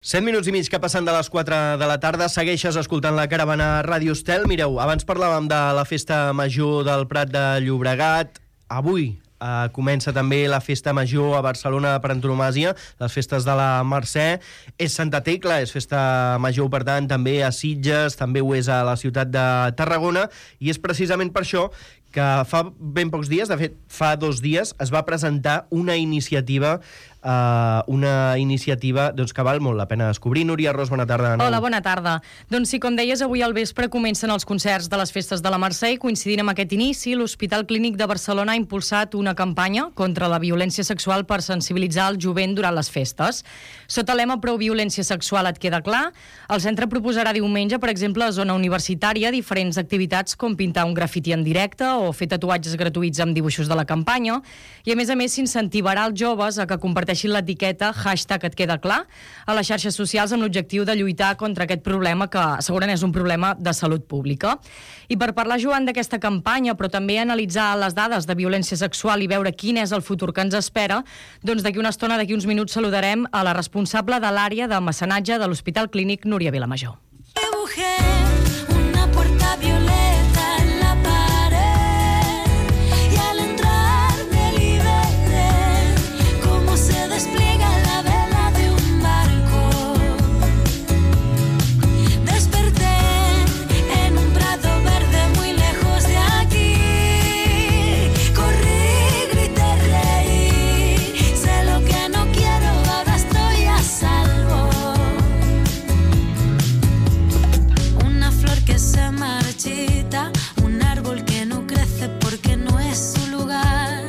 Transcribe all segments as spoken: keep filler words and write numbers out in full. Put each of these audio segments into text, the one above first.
set minuts i mig que passen de les quatre de la tarda. Segueixes escoltant la Caravana Ràdio Estel. Mireu, abans parlàvem de la festa major del Prat de Llobregat. Avui eh, comença també la festa major a Barcelona per antonomàsia, les festes de la Mercè. És Santa Tecla, és festa major, per tant, també a Sitges, també ho és a la ciutat de Tarragona, i és precisament per això que fa ben pocs dies, de fet, fa dos dies, es va presentar una iniciativa Uh, una iniciativa doncs, que val molt la pena descobrir. Núria Ros, bona tarda. Hola, bona tarda. Doncs sí, com deies, avui al vespre comencen els concerts de les festes de la Mercè i coincidint amb aquest inici, l'Hospital Clínic de Barcelona ha impulsat una campanya contra la violència sexual per sensibilitzar el jovent durant les festes. Sota l'ema Prou violència sexual et queda clar, el centre proposarà diumenge, per exemple, a zona universitària, diferents activitats com pintar un grafiti en directe o fer tatuatges gratuïts amb dibuixos de la campanya, i a més a més s'incentivarà els joves a que comparteixin l'etiqueta hashtag et queda clar a les xarxes socials amb l'objectiu de lluitar contra aquest problema que segurament és un problema de salut pública. I per parlar, Joan, d'aquesta campanya, però també analitzar les dades de violència sexual i veure quin és el futur que ens espera, doncs d'aquí una estona, d'aquí uns minuts, saludarem a la responsable de l'àrea de mecenatge de l'Hospital Clínic, Núria Vilamajor. Una puerta violeta en la pared y al entrar me liberé como se despliega la vela de un barco. Desperté en un prado verde muy lejos de aquí. Corrí, grité, reí. Sé lo que no quiero, ahora estoy a salvo. Una flor que se marchita, un árbol que no crece porque no es su lugar.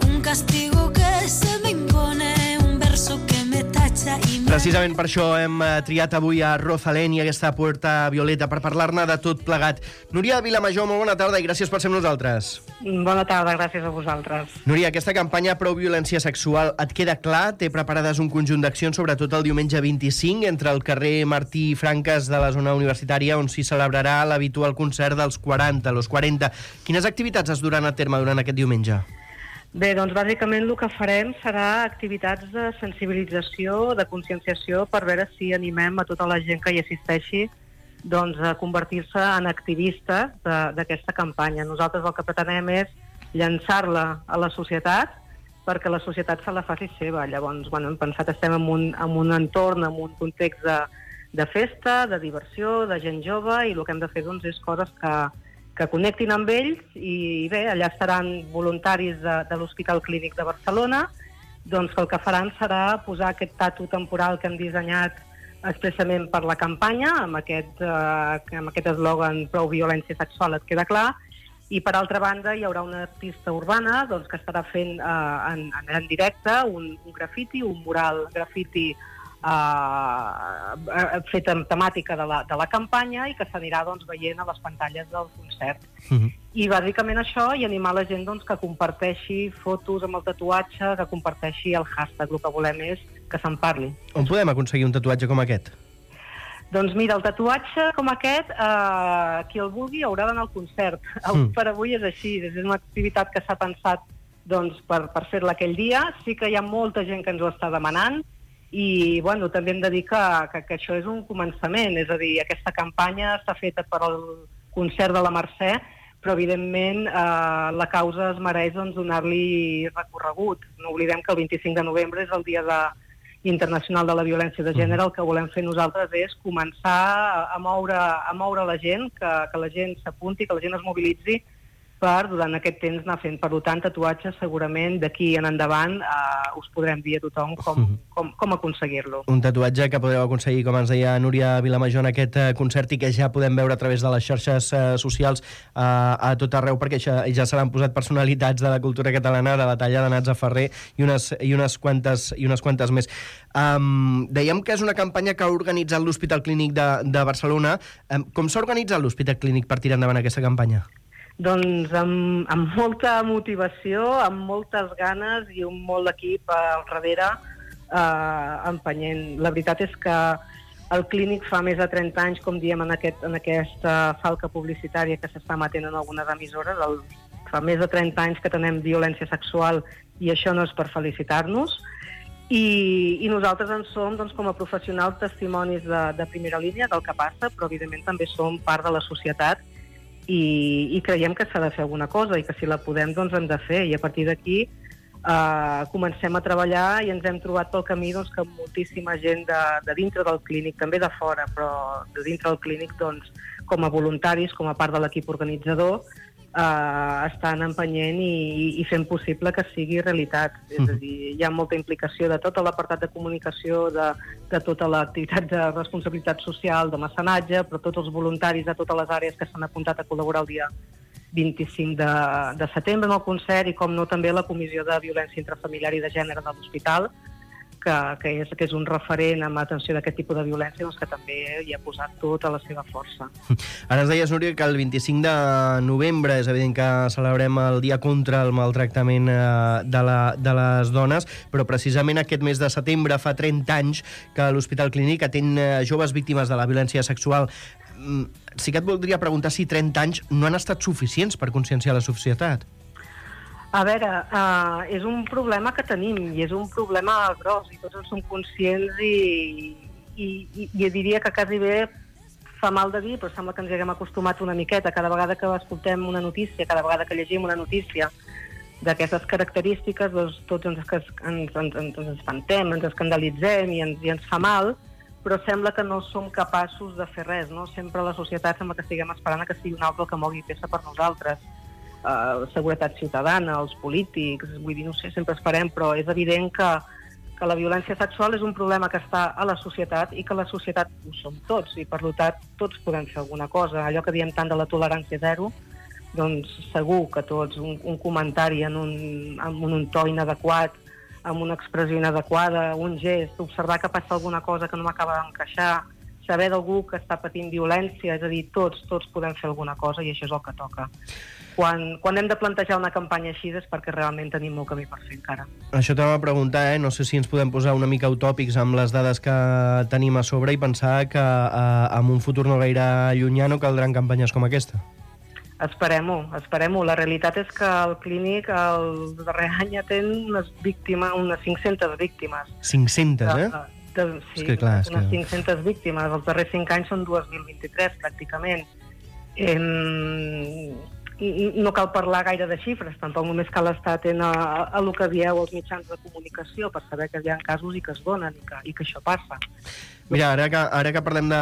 Un castigo que se me impone, un verso que me tacha y me... Precisament per això hem eh, triat avui a Rosalén i aquesta Puerta Violeta per parlar-ne de tot plegat. Núria Vilamajor, molt bona tarda i gràcies per ser amb nosaltres. Bona tarda, gràcies a vosaltres. Núria, aquesta campanya Prou violència sexual et queda clar? Té preparades un conjunt d'accions, sobretot el diumenge vint-i-cinc, entre el carrer Martí i Franques de la zona universitària, on s'hi celebrarà l'habitual concert dels quaranta, los quaranta. Quines activitats es duran a terme durant aquest diumenge? Bé, doncs bàsicament el que farem serà activitats de sensibilització, de conscienciació, per veure si animem a tota la gent que hi assisteixi doncs, a convertir-se en activistes de- d'aquesta campanya. Nosaltres el que pretenem és llançar-la a la societat perquè la societat se la faci seva. Llavors, bueno, hem pensat, estem en un, en un entorn, en un context de, de festa, de diversió, de gent jove, i el que hem de fer doncs, és coses que, que connectin amb ells, i bé, allà estaran voluntaris de, de l'Hospital Clínic de Barcelona, doncs que el que faran serà posar aquest tatu temporal que hem dissenyat expressament per la campanya, amb aquest eh, amb aquest eslògan Prou violència sexual et queda clar, i per altra banda hi haurà una artista urbana doncs, que estarà fent eh, en, en directe un, un grafiti, un mural grafiti eh, fet amb temàtica de la, de la campanya i que s'anirà doncs, veient a les pantalles del concert. Uh-huh. I bàsicament això, i animar la gent doncs, que comparteixi fotos amb el tatuatge, que comparteixi el hashtag. El que volem és que se'n parli. On podem aconseguir un tatuatge com aquest? Doncs mira, el tatuatge com aquest, eh, qui el vulgui haurà d'anar al concert. Mm. Per avui és així, és una activitat que s'ha pensat doncs, per, per fer-la aquell dia. Sí que hi ha molta gent que ens ho està demanant, i bueno, també hem de dir que, que, que això és un començament, és a dir, aquesta campanya està feta per al concert de la Mercè, però evidentment eh, la causa es mereix doncs, donar-li recorregut. No oblidem que el vint-i-cinc de novembre és el dia de, internacional de la violència de gènere. El que volem fer nosaltres és començar a moure, a moure la gent, que, que la gent s'apunti, que la gent es mobilitzi per, durant aquest temps, anar fent. Per tant, tatuatges, segurament, d'aquí en endavant, eh, us podrem dir a tothom com, com, com aconseguir-lo. Un tatuatge que podeu aconseguir, com ens deia Núria Vilamajor, en aquest eh, concert, i que ja podem veure a través de les xarxes eh, socials eh, a tot arreu, perquè ja, ja se l'han posat personalitats de la cultura catalana, de la talla de Natza Ferrer i unes, i unes, quantes, i unes quantes més. Um, dèiem que és una campanya que ha organitzat l'Hospital Clínic de, de Barcelona. Um, com s'ha organitzat l'Hospital Clínic per tirar endavant aquesta campanya? Doncs amb, amb molta motivació, amb moltes ganes i un molt d'equip al darrere eh, empenyent. La veritat és que el Clínic fa més de trenta anys, com diem en, aquest, en aquesta falca publicitària que s'està emetent en algunes emissores, el, fa més de trenta anys que tenem violència sexual i això no és per felicitar-nos. I, i nosaltres en som, doncs, com a professionals, testimonis de, de primera línia del que passa, però evidentment també som part de la societat i, i creiem que s'ha de fer alguna cosa i que si la podem, doncs hem de fer. I a partir d'aquí eh, comencem a treballar i ens hem trobat pel camí doncs, que moltíssima gent de, de dintre del clínic, també de fora, però de dintre del clínic, doncs, com a voluntaris, com a part de l'equip organitzador, Uh, estan empenyent i, i fent possible que sigui realitat. És a dir, hi ha molta implicació de tot l'apartat de comunicació, de, de tota l'activitat de responsabilitat social, de mecenatge, però tots els voluntaris de totes les àrees que s'han apuntat a col·laborar el dia vint-i-cinc de, de setembre en el concert i, com no, també la Comissió de Violència Intrafamiliar i de Gènere de l'Hospital, que, que, és, que és un referent en l'atenció d'aquest tipus de violència, doncs que també hi ha posat tota la seva força. Ara ens deies, Núria, que el vint-i-cinc de novembre és evident que celebrem el Dia contra el Maltractament de, la, de les dones, però precisament aquest mes de setembre fa trenta anys que l'Hospital Clínic atén joves víctimes de la violència sexual. Sí que et voldria preguntar si trenta anys no han estat suficients per conscienciar la societat. A veure, uh, és un problema que tenim i és un problema gros i tots en som conscients i, i, i, i diria que quasi bé fa mal de dir, però sembla que ens hi haguem acostumat una miqueta. Cada vegada que escoltem una notícia, cada vegada que llegim una notícia d'aquestes característiques, doncs tots ens, ens, ens, ens espantem, ens escandalitzem i ens, i ens fa mal, però sembla que no som capaços de fer res, no? Sempre la societat sembla que estiguem esperant que sigui un altre el que mogui peça per nosaltres. Uh, seguretat ciutadana, els polítics, vull dir, no sé, sempre esperem, però és evident que, que la violència sexual és un problema que està a la societat i que la societat ho som tots, i per tant tots podem fer alguna cosa. Allò que diem tant de la tolerància zero, doncs segur que tots, un, un comentari en un, en un to inadequat, amb una expressió inadequada, un gest, observar que passa alguna cosa que no m'acaba d'encaixar, saber d'algú que està patint violència, és a dir, tots, tots podem fer alguna cosa i això és el que toca. Quan, quan hem de plantejar una campanya així és perquè realment tenim molt camí per fer encara. Això t'anava a preguntar, eh? No sé si ens podem posar una mica utòpics amb les dades que tenim a sobre i pensar que eh, en un futur no gaire llunyà no caldran campanyes com aquesta. Esperem-ho, esperem-ho. La realitat és que el clínic el darrer any atén unes víctimes, unes cinc-centes víctimes. cinc-centes, eh? De, de, sí, és que, clar, és unes que... cinc-centes víctimes. Els darrers cinc anys són dos mil vint-i-tres, pràcticament. Eh, no cal parlar gaire de xifres, tampoc només cal estar atent a, a, a el que dieu als mitjans de comunicació per saber que hi ha casos i que es donen i que, i que això passa. Mira, ara que, ara que parlem de,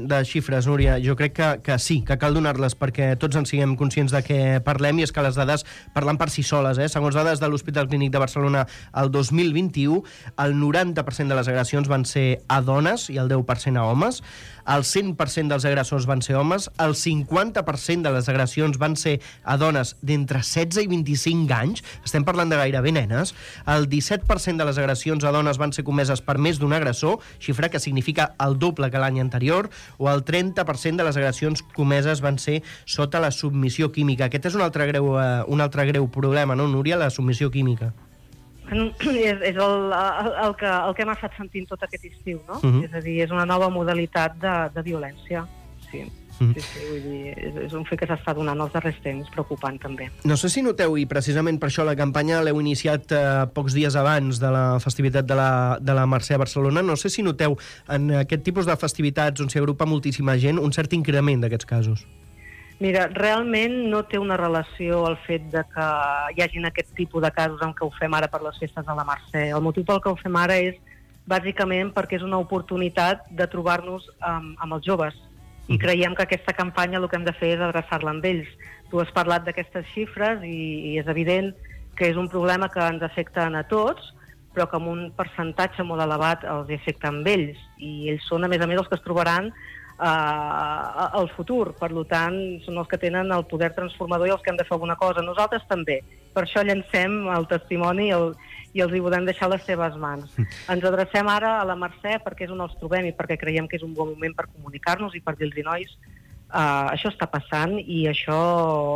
de xifres, Núria, jo crec que, que sí, que cal donar-les perquè tots en siguem conscients de què parlem, i és que les dades parlen per si soles. Eh? Segons dades de l'Hospital Clínic de Barcelona, el dos mil vint-i-u, el noranta per cent de les agressions van ser a dones i el deu per cent a homes, el cent per cent dels agressors van ser homes, el cinquanta per cent de les agressions van ser a dones d'entre setze i vint-i-cinc anys, estem parlant de gairebé nenes, el disset per cent de les agressions a dones van ser comeses per més d'un agressor, xifra que significa el doble que l'any anterior, o el trenta per cent de les agressions comeses van ser sota la submissió química. Aquest és un altre greu, uh, un altre greu problema, no, Núria, la submissió química? És, és el, el, el, que, el que hem estat sentint tot aquest estiu, no? Uh-huh. És a dir, és una nova modalitat de, de violència, sí. Uh-huh. Sí, sí, vull dir, és, és un fet que s'està donant els darrers temps, preocupant també. No sé si noteu, i precisament per això la campanya l'heu iniciat eh, pocs dies abans de la festivitat de la, de la Mercè a Barcelona, no sé si noteu en aquest tipus de festivitats on s'hi agrupa moltíssima gent un cert increment d'aquests casos. Mira, realment no té una relació el fet de que hi hagin aquest tipus de casos en què ho fem ara per les festes de la Mercè. El motiu pel que ho fem ara és bàsicament perquè és una oportunitat de trobar-nos amb, amb els joves. I creiem que aquesta campanya el que hem de fer és adreçar-la amb ells. Tu has parlat d'aquestes xifres i, i és evident que és un problema que ens afecta a tots, però que amb un percentatge molt elevat els afecta amb ells. I ells són, a més a més, els que es trobaran Uh, al futur. Per tant, són els que tenen el poder transformador i els que hem de fer alguna cosa. Nosaltres també. Per això llancem el testimoni i, el, i els hi podem deixar les seves mans. Ens adrecem ara a la Mercè perquè és on els trobem i perquè creiem que és un bon moment per comunicar-nos i per dir-los, nois, uh, això està passant i això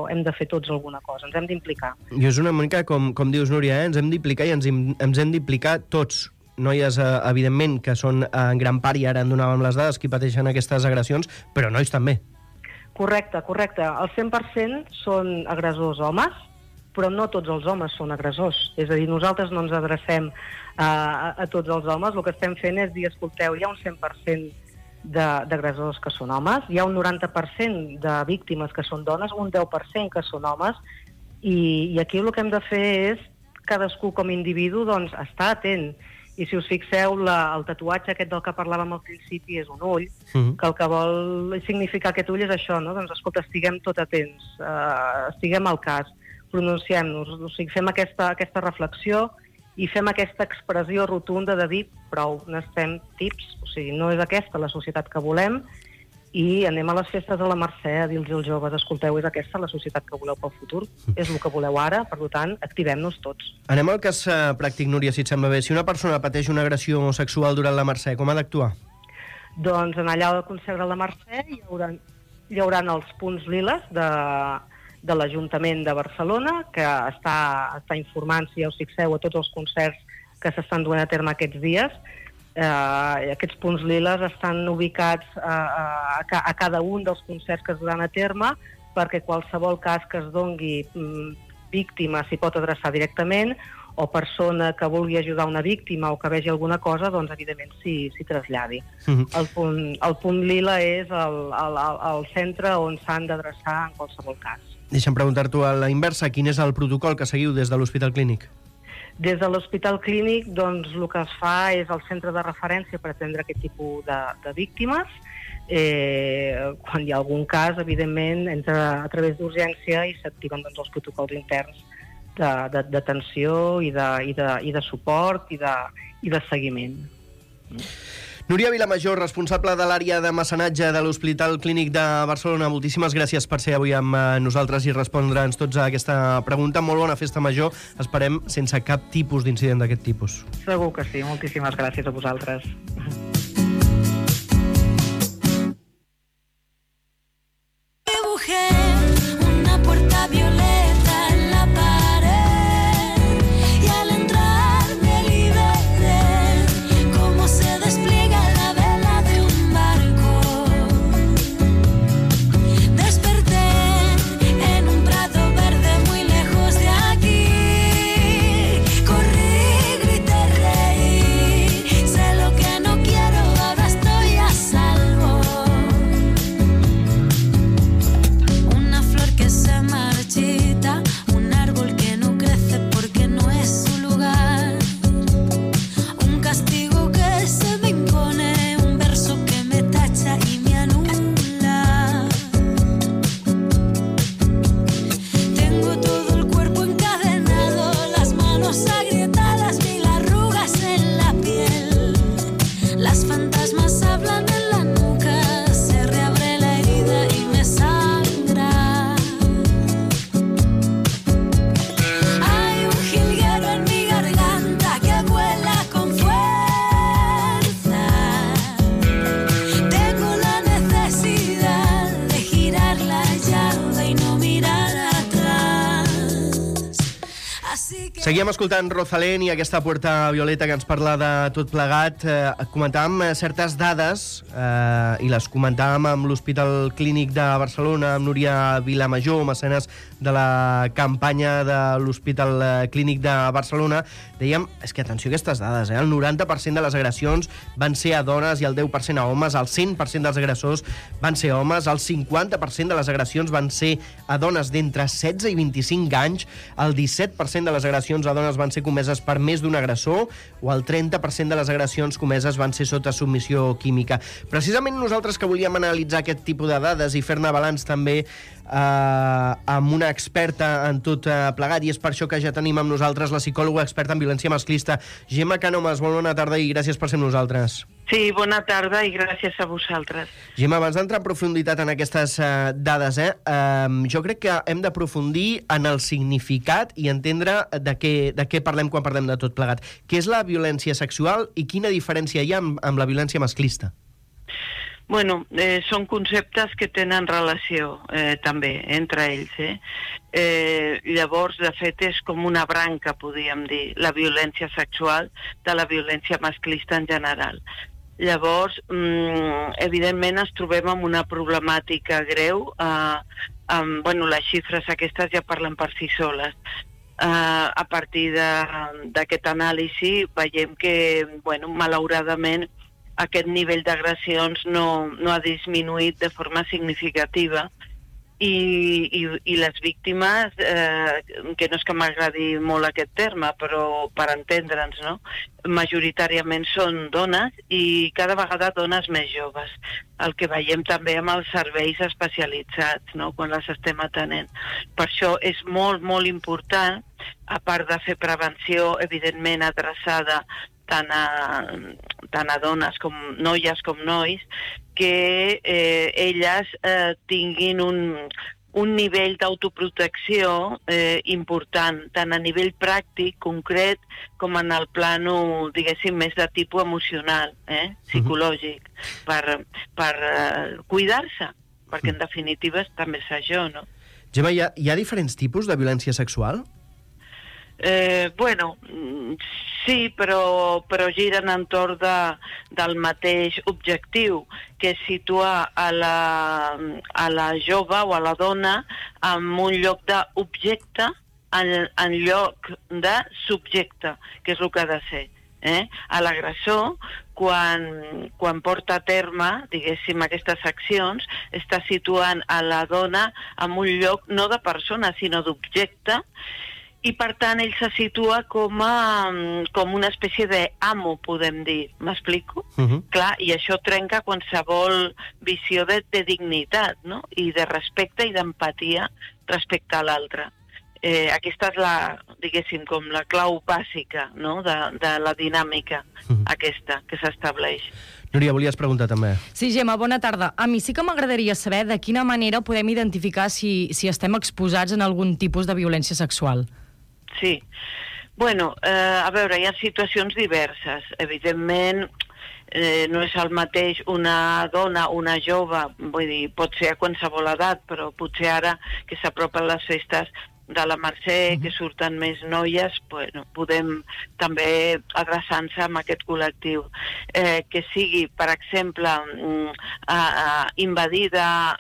hem de fer tots alguna cosa. Ens hem d'implicar. I és una mica com, com dius, Núria, eh? Ens hem d'implicar i ens, ens hem d'implicar tots. Noies, eh, evidentment, que són eh, en gran part, i ara en donàvem les dades, qui pateixen aquestes agressions, però nois també. Correcte, correcte. El cent per cent són agressors homes però no tots els homes són agressors. És a dir, nosaltres no ens adrecem a, a tots els homes, el que estem fent és dir, escolteu, hi ha un cent per cent d'agressors que són homes, hi ha un noranta per cent de víctimes que són dones, un deu per cent que són homes, i, i aquí el que hem de fer és cadascú com a individu doncs, estar atent. I si us fixeu, la, el tatuatge aquest del que parlàvem al principi és un ull, uh-huh. que el que vol significar aquest ull és això, no? Doncs escolta, estiguem tot atents, uh, estiguem al cas, pronunciem-nos, o sigui, fem aquesta, aquesta reflexió i fem aquesta expressió rotunda de dir prou, n'estem tips, o sigui, no és aquesta la societat que volem, i anem a les festes de la Mercè a dir-los als joves, escolteu, és aquesta la societat que voleu pel futur, és el que voleu ara, per tant, activem-nos tots. Anem al cas uh, pràctic, Núria, si et sembla bé. Si una persona pateix una agressió sexual durant la Mercè, com ha d'actuar? Doncs en allà al concert de la Mercè hi haurà, hi haurà els punts liles de, de l'Ajuntament de Barcelona, que està, està informant, si ja us fixeu, a tots els concerts que s'estan duent a terme aquests dies. Uh, aquests punts liles estan ubicats uh, a, a, a cada un dels concerts que es duran a terme, perquè qualsevol cas que es dongui mm, víctima s'hi pot adreçar directament, o persona que vulgui ajudar una víctima o que vegi alguna cosa, doncs evidentment s'hi traslladi. Uh-huh. el, punt, el punt lila és el, el, el centre on s'han d'adreçar en qualsevol cas. Deixa'm preguntar-t'ho a la inversa, quin és el protocol que seguiu des de l'Hospital Clínic? Des de l'Hospital Clínic, doncs, el que es fa és el centre de referència per atendre aquest tipus de, de víctimes. Eh, quan hi ha algun cas, evidentment, entra a través d'urgència i s'activen doncs, els protocols interns d'atenció i, de, i, de, i de suport i de, i de seguiment. Núria Vilamajor, responsable de l'àrea de mecenatge de l'Hospital Clínic de Barcelona, moltíssimes gràcies per ser avui amb nosaltres i respondre'ns tots a aquesta pregunta. Molt bona festa major, esperem sense cap tipus d'incident d'aquest tipus. Segur que sí, moltíssimes gràcies a vosaltres. Una puerta violeta en la pared y al entrar me liberé como se despliega la vela de un barco. Desperté en un prado verde muy lejos de aquí. Corrí, grité, reí. Sé lo que no quiero, ahora estoy a salvo. Que se marchita, un árbol que no crece porque no es su lugar, un castigo que se me impone, un verso que me tacha y me anula. Tengo todo el cuerpo encadenado, las manos agrietadas, mil arrugas en la piel, las fantasmas hablan en la nuca, se reabre la herida y me sangra. Seguíem escoltant Rosalén i aquesta Puerta Violeta que ens parla de tot plegat. Eh, comentàvem certes dades eh, i les comentàvem amb l'Hospital Clínic de Barcelona, amb Núria Vilamajor, mecenes de la campanya de l'Hospital Clínic de Barcelona. Dèiem, és que atenció a aquestes dades, eh? El noranta per cent de les agressions van ser a dones i el deu per cent a homes, el cent per cent dels agressors van ser homes, el cinquanta per cent de les agressions van ser a dones d'entre setze i vint-i-cinc anys, el disset per cent de les agressions a dones van ser comeses per més d'un agressor o el trenta per cent de les agressions comeses van ser sota submissió química. Precisament nosaltres que volíem analitzar aquest tipus de dades i fer-ne balanç també eh, amb una experta en tot eh, plegat, i és per això que ja tenim amb nosaltres la psicòloga experta en violència masclista, Gemma Cànomes. Molt bona tarda i gràcies per ser amb nosaltres. Sí, bona tarda i gràcies a vosaltres. Gemma, abans d'entrar en profunditat en aquestes uh, dades, eh, um, jo crec que hem d'aprofundir en el significat i entendre de què, de què parlem quan parlem de tot plegat. Què és la violència sexual i quina diferència hi ha amb, amb la violència masclista? Bueno, eh, són conceptes que tenen relació eh, també entre ells. Eh? Eh, llavors, de fet, és com una branca, podríem dir, la violència sexual de la violència masclista en general. Llavors, mm, evidentment, ens trobem amb una problemàtica greu eh, um, bueno, les xifres aquestes ja parlen per si soles. Uh, a partir d'aquest anàlisi veiem que, bueno, malauradament, aquest nivell d'agressions no, no ha disminuït de forma significativa i, i, i les víctimes, eh, que no és que m'agradi molt aquest terme, però per entendre'ns, no? Majoritàriament són dones i cada vegada dones més joves, el que veiem també amb els serveis especialitzats, no?, quan les estem atenent. Per això és molt, molt important, a part de fer prevenció, evidentment adreçada tant a, tant a dones com noies com nois, que eh, elles eh, tinguin un, un nivell d'autoprotecció eh, important, tant a nivell pràctic, concret, com en el plano, diguéssim, més de tipus emocional, eh, psicològic, uh-huh. per, per eh, cuidar-se, perquè en definitiva també és això, no? Gemma, hi ha, hi ha diferents tipus de violència sexual? Eh, bueno, sí, però, però giren entorn de, del mateix objectiu, que és situar a la, a la jove o a la dona en un lloc d'objecte en, en lloc de subjecte, que és el que ha de ser. Eh? A l'agressor, quan, quan porta a terme, diguéssim, aquestes accions, està situant a la dona en un lloc no de persona, sinó d'objecte, i per tant ell se situa com, a, com una espècie d'amo, podem dir. M'explico? Uh-huh. Clar, i això trenca qualsevol visió de, de dignitat, no?, i de respecte i d'empatia respecte a l'altre. Eh, aquesta és la, diguéssim, com la clau bàsica, no?, de, de la dinàmica uh-huh. aquesta que s'estableix. Núria, volies preguntar també. Sí, Gemma, bona tarda. A mi sí que m'agradaria saber de quina manera podem identificar si, si estem exposats en algun tipus de violència sexual. Sí. Bueno, eh, a veure, hi ha situacions diverses. Evidentment, eh, no és el mateix una dona, una jove, vull dir, pot ser a qualsevol edat, però potser ara que s'apropen les festes de la Mercè, que surten més noies, bueno, podem també adreçar-nos amb aquest col·lectiu. Eh, que sigui, per exemple, mm, uh, invadida,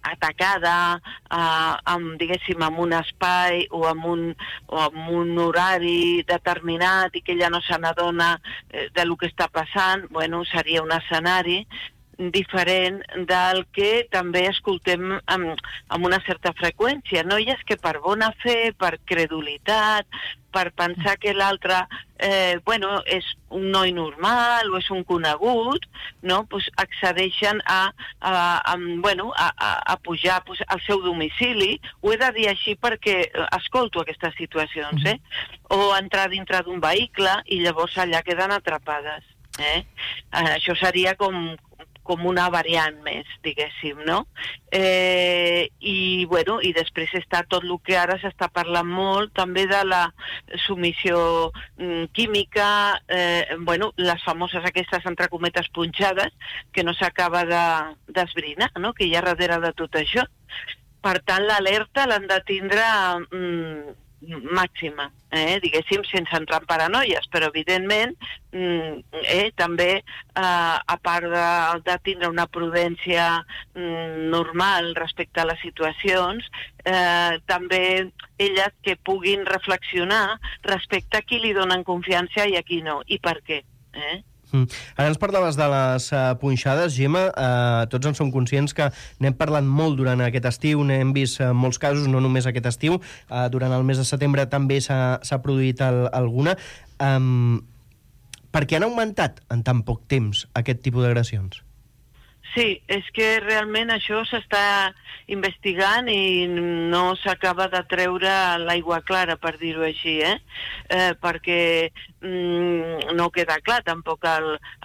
atacada, eh, amb, diguéssim, en un espai o en un, o en un horari determinat i que ella no se n'adona eh, de lo que està passant, bueno, seria un escenari diferent del que també escoltem amb, amb una certa freqüència. Noies que per bona fe, per credulitat, per pensar que l'altre eh, bueno, és un noi normal o és un conegut, no? Pues accedeixen a, a, a, bueno, a, a, a pujar pues, al seu domicili. Ho he de dir així perquè escolto aquestes situacions, eh? O entrar dintre d'un vehicle i llavors allà queden atrapades. Eh? Eh, això seria com com una variant més, diguéssim, no? Eh, i, bueno, i després està tot el que ara s'està parlant molt, també de la submissió mm, química, eh, bueno, les famoses aquestes, entre cometes, punxades, que no s'acaba d'esbrinar, no?, que hi ha darrere de tot això. Per tant, l'alerta l'han de tindre mm, màxima, eh, diguéssim, sense entrar en paranoies, però evidentment eh, també eh, a part de, de tindre una prudència mm, normal respecte a les situacions, eh, també elles que puguin reflexionar respecte a qui li donen confiança i a qui no, i per què. Eh? Mm. Ara ens parlaves de les uh, punxades, Gemma. Uh, tots en som conscients que n'hem parlat molt durant aquest estiu, n'hem vist uh, molts casos, no només aquest estiu. Uh, durant el mes de setembre també s'ha produït el, alguna. Um, per què han augmentat en tan poc temps aquest tipus d'agressions? Sí, és que realment això s'està investigant i no s'acaba de treure l'aigua clara, per dir-ho així, eh? eh perquè mm, no queda clar tampoc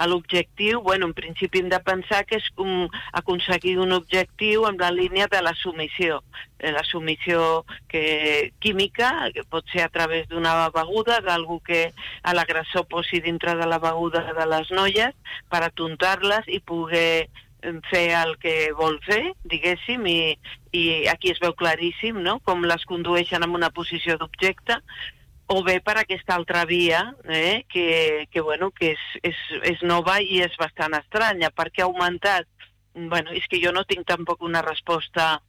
l'objectiu. Bueno, en principi hem de pensar que és um, aconseguir un objectiu en la línia de la submissió. Eh, la submissió que, química, que pot ser a través d'una beguda, d'algú que a l'agressor posi dintre de la beguda de les noies per atontar-les i poder fer el que vol fer, diguéssim, i, i aquí es veu claríssim, no?, com les condueixen en una posició d'objecte, o bé per aquesta altra via, eh, que, que, bueno, que és, és, és nova i és bastant estranya. Per què ha augmentat? Bueno, és que jo no tinc tampoc una resposta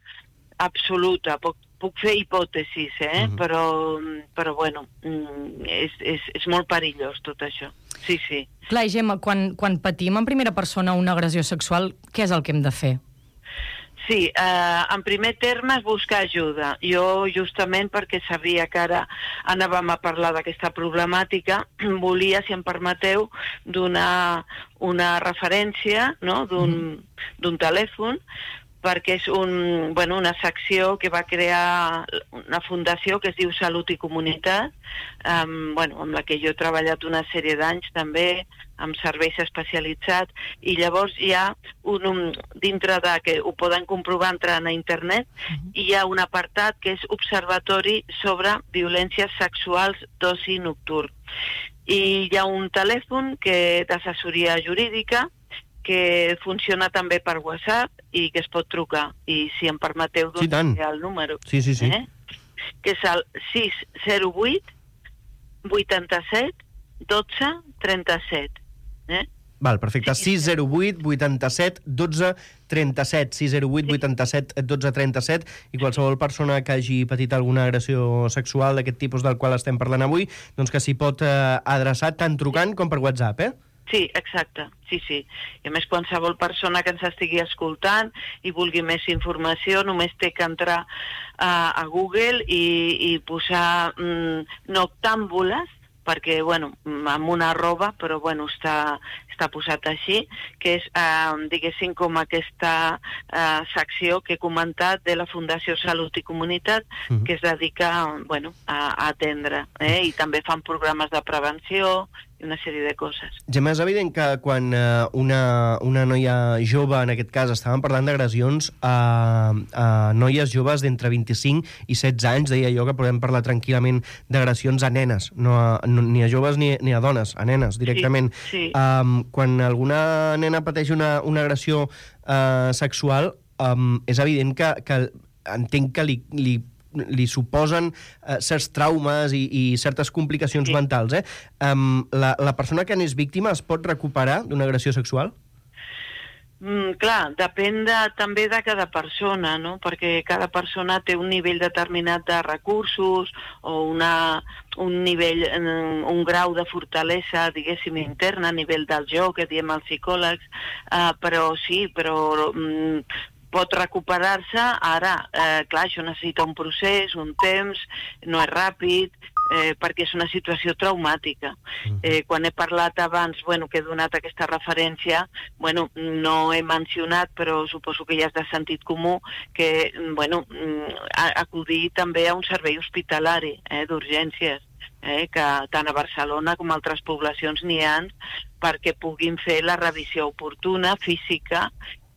absoluta. Puc, puc fer hipòtesis, eh? Mhm. però, però bueno, mm, és, és, és molt perillós tot això. Sí, sí. Clar, i Gemma, quan, quan patim en primera persona una agressió sexual, què és el que hem de fer? Sí, eh, en primer terme és buscar ajuda. Jo, justament perquè sabia que ara anàvem a parlar d'aquesta problemàtica, volia, si em permeteu, donar una referència, no?, d'un d'un telèfon, perquè és un, bueno, una secció que va crear una fundació que es diu Salut i Comunitat, um, bueno, amb la que jo he treballat una sèrie d'anys també, amb serveis especialitzats, i llavors hi ha un, un dintre de, que ho poden comprovar entrant a internet, uh-huh. hi ha un apartat que és Observatori sobre Violències Sexuals d'Oci Nocturn. I hi ha un telèfon que d'assessoria jurídica que funciona també per WhatsApp i que es pot trucar. I si em permeteu, doncs, sí, el número. Sí, sí, sí. Eh? Que és el sis zero vuit vuitanta-set dotze trenta-set. Eh? Val, perfecte. sis zero vuit vuitanta-set dotze trenta-set. sis zero vuit vuitanta-set dotze trenta-set. I qualsevol persona que hagi patit alguna agressió sexual d'aquest tipus del qual estem parlant avui, doncs que s'hi pot eh, adreçar tant trucant com per WhatsApp, eh? Sí, exacte, sí, sí. I a més, qualsevol persona que ens estigui escoltant i vulgui més informació, només té que entrar uh, a Google i, i posar mm, noctàmbules, perquè, bueno, amb una arroba, però, bueno, està, està posat així, que és, eh, diguéssim, com aquesta eh, secció que he comentat de la Fundació Salut i Comunitat, uh-huh. que es dedica, bueno, a, a atendre, eh? I també fan programes de prevenció i una sèrie de coses. Gemma, és evident que quan eh, una, una noia jove, en aquest cas, estàvem parlant d'agressions a, a noies joves d'entre vint-i-cinc i setze anys, deia jo que podem parlar tranquil·lament d'agressions a nenes, no a, no, ni a joves ni, ni a dones, a nenes directament. Sí, sí. Um, quan alguna nena pateix una, una agressió uh, sexual, um, és evident que, que entenc que li, li li suposen eh, certs traumes i, i certes complicacions sí. mentals. Eh? Um, la, la persona que n'és víctima es pot recuperar d'una agressió sexual? Mm, clar, depèn de, també de cada persona, no? Perquè cada persona té un nivell determinat de recursos o una, un nivell, un grau de fortalesa, diguéssim, interna, a nivell del joc, que diem els psicòlegs, uh, però sí, però... Mm, pot recuperar-se. Ara, eh, clar, això necessita un procés, un temps, no és ràpid, eh, perquè és una situació traumàtica. Eh, quan he parlat abans, bueno, que he donat aquesta referència, bueno, no he mencionat, però suposo que ja és de sentit comú, que, bueno, acudir també a un servei hospitalari, eh, d'urgències, eh, que tant a Barcelona com a altres poblacions n'hi ha, perquè puguin fer la revisió oportuna, física,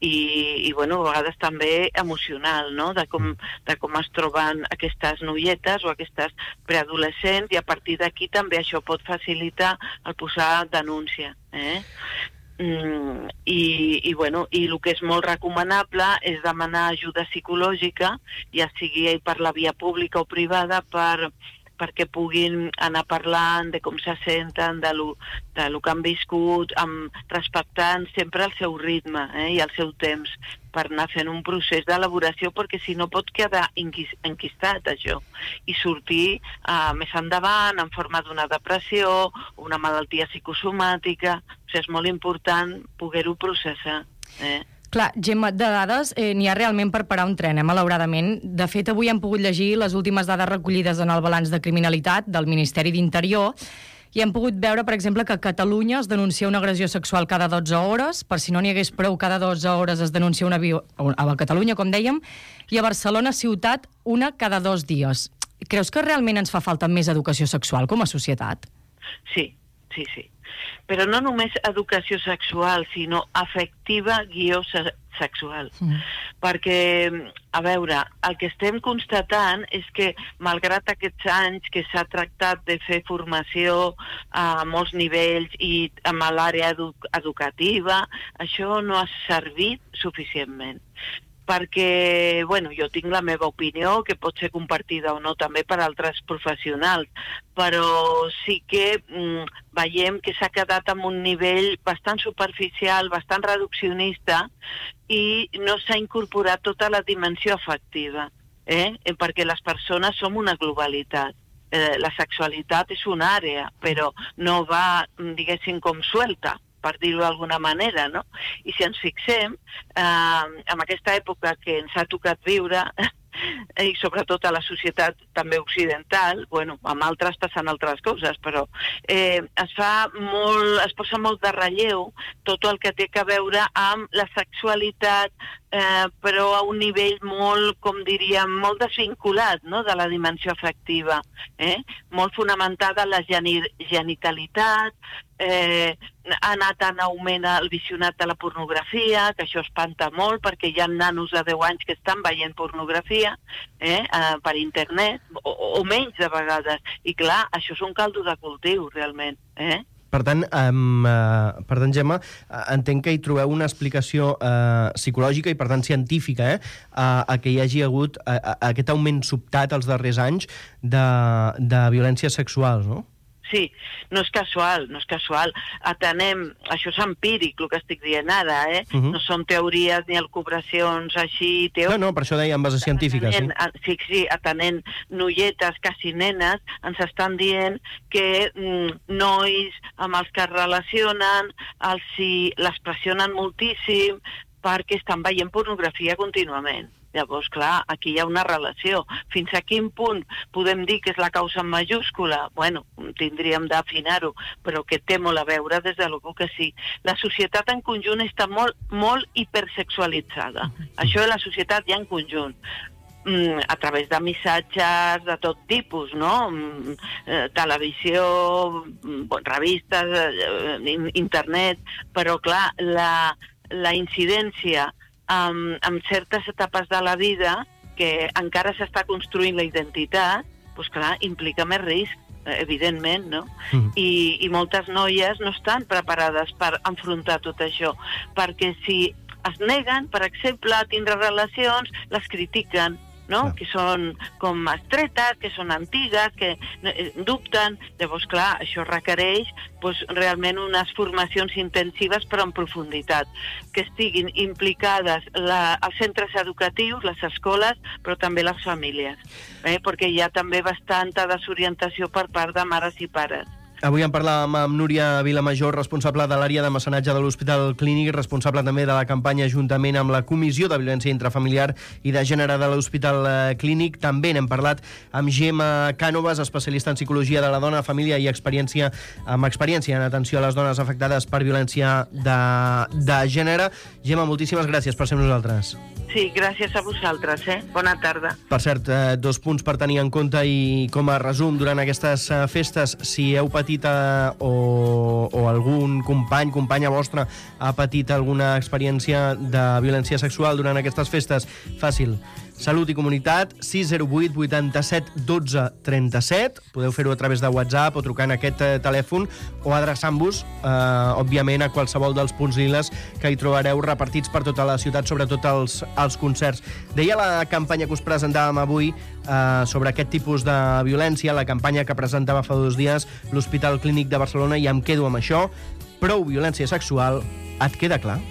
i, i bueno, a vegades també emocional, no?, de com, de com es troben aquestes noietes o aquestes preadolescents, i a partir d'aquí també això pot facilitar el posar denúncia. Eh? Mm, i, i, bueno, i el que és molt recomanable és demanar ajuda psicològica, ja sigui per la via pública o privada, per perquè puguin anar parlant de com se senten, de lo, de lo que han viscut, amb, respectant sempre el seu ritme, eh, i el seu temps, per anar fent un procés d'elaboració, perquè si no pot quedar enquistat això, i sortir eh, més endavant en forma d'una depressió, una malaltia psicosomàtica. O sigui, és molt important poder-ho processar. Eh? Clar, Gemma, de dades eh, n'hi ha realment per parar un tren, eh, malauradament. De fet, avui hem pogut llegir les últimes dades recollides en el balanç de criminalitat del Ministeri d'Interior i hem pogut veure, per exemple, que a Catalunya es denuncia una agressió sexual cada dotze hores, per si no n'hi hagués prou, cada dotze hores es denuncia una viol... a Catalunya, com dèiem, i a Barcelona ciutat una cada dos dies. Creus que realment ens fa falta més educació sexual com a societat? Sí, sí, sí. Però no només educació sexual, sinó afectiva guió se sexual. Mm. Perquè, a veure, el que estem constatant és que, malgrat aquests anys que s'ha tractat de fer formació a molts nivells i amb l'àrea edu educativa, això no ha servit suficientment. perquè, bueno, jo tinc la meva opinió, que pot ser compartida o no també per altres professionals, però sí que mm, veiem que s'ha quedat en un nivell bastant superficial, bastant reduccionista, i no s'ha incorporat tota la dimensió afectiva, eh? perquè les persones som una globalitat. Eh, la sexualitat és una àrea, però no va, diguéssim, com suelta, per dir-ho d'alguna manera, no? I si ens fixem, eh, en aquesta època que ens ha tocat viure, i sobretot a la societat també occidental, bueno, amb altres passant altres coses, però eh, es fa molt, es posa molt de relleu tot el que té a veure amb la sexualitat, eh, però a un nivell molt, com diríem, molt desvinculat, no?, de la dimensió afectiva, eh? Molt fonamentada en la geni- genitalitat, eh, ha anat en augment el visionat de la pornografia, que això espanta molt, perquè hi ha nanos de deu anys que estan veient pornografia eh, eh, per internet, o, o menys de vegades. I clar, això és un caldo de cultiu, realment. Eh? Per tant, um, uh, per tant, Gemma, uh, entenc que hi trobeu una explicació uh, psicològica i, per tant, científica, eh, a, a que hi hagi hagut uh, a, a aquest augment sobtat els darrers anys de, de violències sexuals, no? Sí, no és casual, no és casual. Atenem, això és empíric, el que estic dient ara, eh? Uh-huh. No són teories ni elucubracions així... Teòriques. No, no, per això deia en base científica, atenent, sí. Sí, sí, atenent noietes, quasi nenes, ens estan dient que mm, nois amb els que es relacionen, els si les pressionen moltíssim perquè estan veient pornografia contínuament. Llavors, clar, aquí hi ha una relació. Fins a quin punt podem dir que és la causa en majúscula? Bueno, tindríem d'afinar-ho, però que té molt a veure, des de l'algú que sí. La societat en conjunt està molt, molt hipersexualitzada. Això de la societat ja en conjunt. Mm, a través de missatges de tot tipus, no? Mm, eh, televisió, mm, revistes, eh, internet, però clar, la, la incidència amb, amb certes etapes de la vida que encara s'està construint la identitat, doncs clar, implica més risc, evidentment, no? Mm. I, I moltes noies no estan preparades per enfrontar tot això, perquè si es neguen, per exemple, a tindre relacions, les critiquen, no? Ah. Que són com estretes, que són antigues, que dubten. Llavors, clar, això requereix pues, realment unes formacions intensives però en profunditat, que estiguin implicades la, els centres educatius, les escoles, però també les famílies, eh? Perquè hi ha també bastanta desorientació per part de mares i pares. Avui en parlàvem amb Núria Vilamajor, responsable de l'àrea de mecenatge de l'Hospital Clínic, responsable també de la campanya juntament amb la Comissió de Violència Intrafamiliar i de Gènere de l'Hospital Clínic. També n'hem parlat amb Gemma Cànovas, especialista en psicologia de la dona, família i experiència amb experiència en atenció a les dones afectades per violència de, de gènere. Gemma, moltíssimes gràcies per ser amb nosaltres. Sí, gràcies a vosaltres, eh? Bona tarda. Per cert, eh, dos punts per tenir en compte i com a resum durant aquestes eh, festes, si heu patit eh, o, o algun company, companya vostra ha patit alguna experiència de violència sexual durant aquestes festes, fàcil. Salut i Comunitat, sis zero vuit vuitanta-set dotze trenta-set. Podeu fer-ho a través de WhatsApp o trucant a aquest eh, telèfon o adreçant-vos, eh, òbviament, a qualsevol dels punts liles que hi trobareu repartits per tota la ciutat, sobretot els, els concerts. Deia la campanya que us presentàvem avui eh, sobre aquest tipus de violència, la campanya que presentava fa dos dies l'Hospital Clínic de Barcelona, i em quedo amb això. Prou violència sexual, et queda clar?